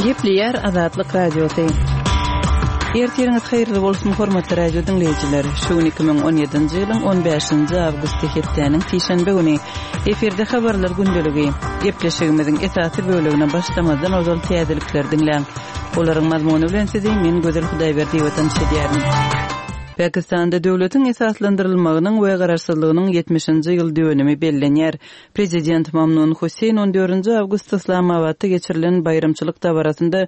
Gepleýär Azatlyk Radiosy. Ertiriňiz haýyrly bolsun, hormatly radio diňleýjiler. Şu gün 2017-nji ýylyň 15-nji awgusty hepdäniň sişenbe güni. Efirde habarlar gündeligi. Gepleşigimiziň esasy bölegine başlamazdan ozal täzelikleri diňläň. Olaryň mazmuny bilen sizi men Gözel Hudaýberdiýewa tanyş edýärin. Pakistanda döwletiň esaslandyrylmagynyň we garaşsyzlygynyň ýetmişinji ýyl dönümi bellenýär. Prezident Mamnun Husseýn on dördünji awgustda Yslamabatda geçirilen baýramçylyk dabarasynda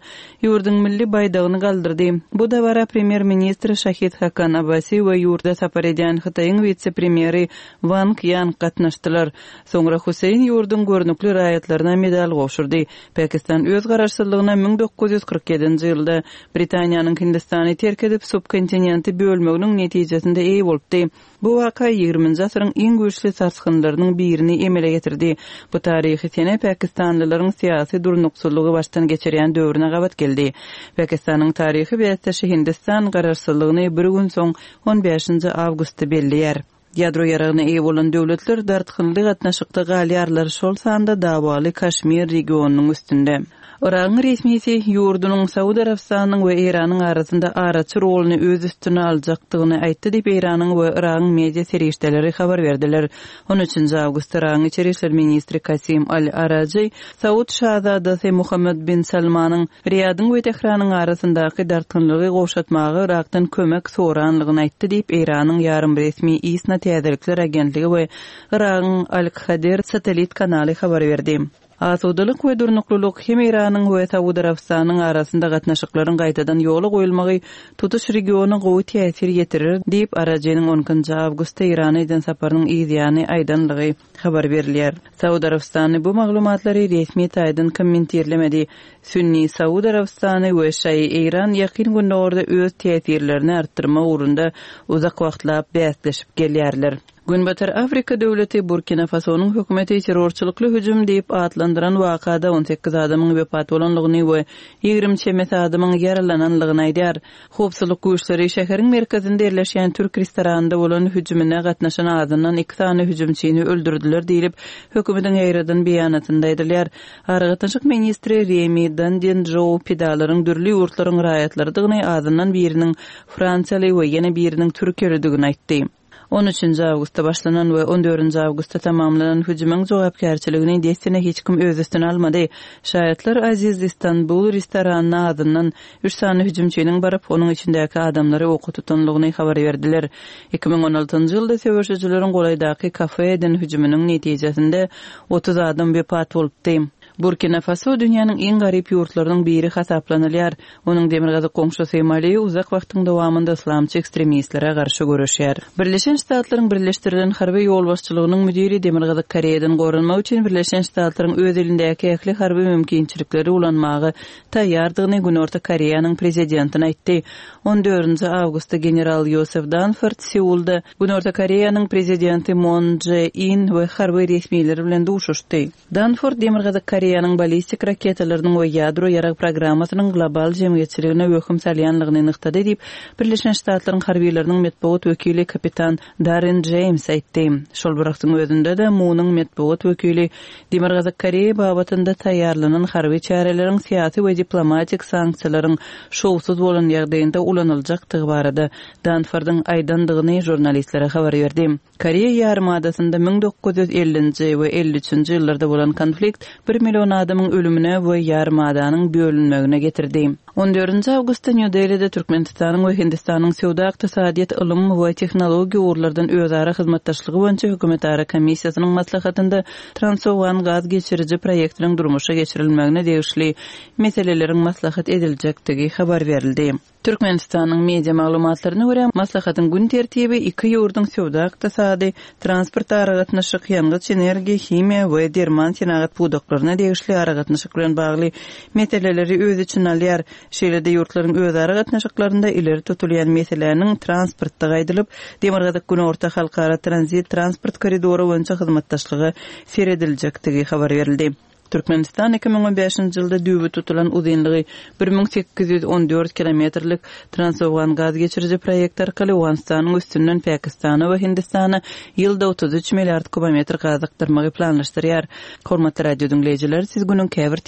ýurduň milli baýdagyny galdyrdy. Bu dabara premýer-ministr Şahid Hakan Abbasi we ýurda sapar edýän Hytaýyň wise-premýeri Wang Ýan gatnaşdylar. Soňra Husseýn ýurduň görnükli raýatlaryna medal gowşurdy. Pakistan öz garaşsyzlygyna 1947 ýedinji ýylda Britaniýanyň Hindistany terk edip, subkontinenti bölmeginiň netijesinde eýe bolupdy. Bu waka ýigriminji asyryň iň güýçli sarsgynlarynyň birini emele getirdi. Bu taryhy sene pakistanlylaryň syýasy durnuksyzlygy başdan geçirýän döwrüne gabat geldi. Pakistanyň taryhy bäsdeşi Hindistan garaşsyzlygyny bir gün soň, on bäşinji awgustda belleýär. Ýadro ýaragyna eýe bolan döwletler dartgynly gatnaşykda galýarlar, şol sanda dawaly Kaşmir regionynyň üstünde. Yragyň resmisi ýurdunyň Saud Arabystanynyň we Eýranyň arasynda araçy roluny öz üstüne aljakdygyny aýtdy diýip, Eýranyň we Yragyň media serişdeleri habar berdiler. On üçünji awgustda Yragyň içeri işler ministri Kasim al-Arajy Saud şazadasy Muhammed bin Salmanyň Riýadyň we Tähranyň arasyndaky dartgynlygy gowşatmaga Yrakdan kömek soranlygyny aýtdy diýip, Eýranyň ýarym resmi ISNA täzelikler agentligi we Yragyň Al-Khader satellit kanaly habar berdi. Asudalyk we durnuklylyk hem Eýranyň we Saud Arabystanynyň arasynda gatnaşyklaryň gaýtadan ýola goýulmagy tutuş regiona gowy täsir ýetirer diýip, Arajiniň on ikinji awgustda Eýrana eden saparynyň yzýany aýdanlygy habar berilýär. Saud Arabystany bu maglumatlary resmi taýdan kommentirlemedi. Sünni Saud Arabystany we şaýy Eýran Ýakyn Gündogarda öz täsirlerini artdyrmak ugrunda uzak wagtlap bäsleşip gelýärler. Günbatar Afrika döwleti Burkina Fasonyň hökümeti terrorçylykly hüjüm diýip atlandyran wakada 18 adamyň wepat bolandygyny we 20 çemesi adamyň ýaralanandygyny aýdýar. Howpsuzlyk güýçleri şäheriň merkezinde ýerleşýän türk restoranynda bolan hüjümine gatnaşan azyndan iki sany hüjümçini öldürdiler diýlip, hökümetiň ýaýradan beýanatynda aýdylýar. Aragatnaşyk ministri Remi Dandin-Jou pidalaryň dürli ýurtlaryň raýatlarydygyny, azyndan biriniň fransiýaly we ýene biriniň türkiýelidigini aýtdy. On üçünji awgustda başlanan we on dördünji awgustda tamamlanan hüjümiň jogapkärçiligini dessine hiç kim öz üstüne almady. Şaýatlar Aziz Istanbul restoranyna azyndan üç sany hüjümçiniň baryp, onuň içindäki adamlary oka tutanlygyny habar berdiler. 2016-njy ýylda söweşijileriň golaýdaky kafe eden hüjüminiň netijesinde 30 adam wepat bolupdy. Burkina Faso dünýäniň iň garyp ýurtlarynyň biri hasaplanylýar. Onuň demirgazyk goňşusy Mali uzak wagtyň dowamynda yslamçy ekstremistlere garşy göreşýär. Birleşen Ştatlaryň Birleşdirilen harby ýolbaşçylygynyň müdiri Demirgazyk Koreýadan goranmak üçin Birleşen Ştatlaryň öz elindäki ähli harby mümkinçilikleri ulanmaga taýýardygyny Günorta Koreýanyň prezidentine aýtdy. On dördünji awgustda general Ýosef Danford Seulda Günorta Koreýanyň prezidenti Mon Je In we harby resmiler bilen duşuşdy. Danford Demirgazyk Koreýanyň ballistik raketalarynyň we ýadro ýarag programmasynyň global jemgyýetçiligine wehim salýanlygyny nygtady diýip, Birleşen Ştatlaryň harbylarynyň metbugat wekili kapitan Darren Jeýms aýtdy. Şol bir wagtyň özünde-de, Munuň metbugat wekili Demirgazyk Koreýa babatynda taýýarlanan harby çäreleriň syýasy we diplomatik sanksiýalaryň şowsuz bolan ýagdaýynda ulanyljakdygy barada Danfordyň aýdandygyny žurnalistlere habar berdi. Koreýa ýarymadasynda 1950-nji we 53-nji ýyllarda bolan konflikt bir million adamyň ölümine we ýarymadanyň bölünmegine getirdi. On dördünji awgustda Nýu-Delide Türkmenistanyň we Hindistanyň söwda-ykdysadyýet, ylym we tehnologiýa ugurlardan özara hyzmatdaşlygy boýunça hökümetara komissiýasynyň maslahatynda Transowgan gaz geçiriji proýektiniň durmuşa geçirilmegine degişli meseleleriň maslahat ediljekdigi habar berildi. Türkmenistanyň media maglumatlaryna görä, maslahatyň gün tertibi iki ýurduň söwda-ykdysady, transport-aragatnaşyk, ýangyç-energiýa, himiýa we derman senagat pudaklaryna degişli aragatnaşyk bilen bagly meseleleri öz içine alýar. Şeýle-de ýurtlaryň özara gatnaşyklarynda ileri tutulýan meseläniň transportdygy aýdylyp, Demirgazyk-Günorta halkara tranzit transport koridory boýunça hyzmatdaşlyga serediljekdigi habar berildi. Türkmenistan 2015-nji ýylda düýbi tutulan uzynlygy 1814 kilometrlik Transowgan gaz geçiriji proýekti arkaly Owganystanyň üstünden Pakistana we Hindistana ýylda 33 milliard kubometr gaz akdyrmagy planlaşdyrýar. Hormatly radio diňleýjiler, siz günüň käbir.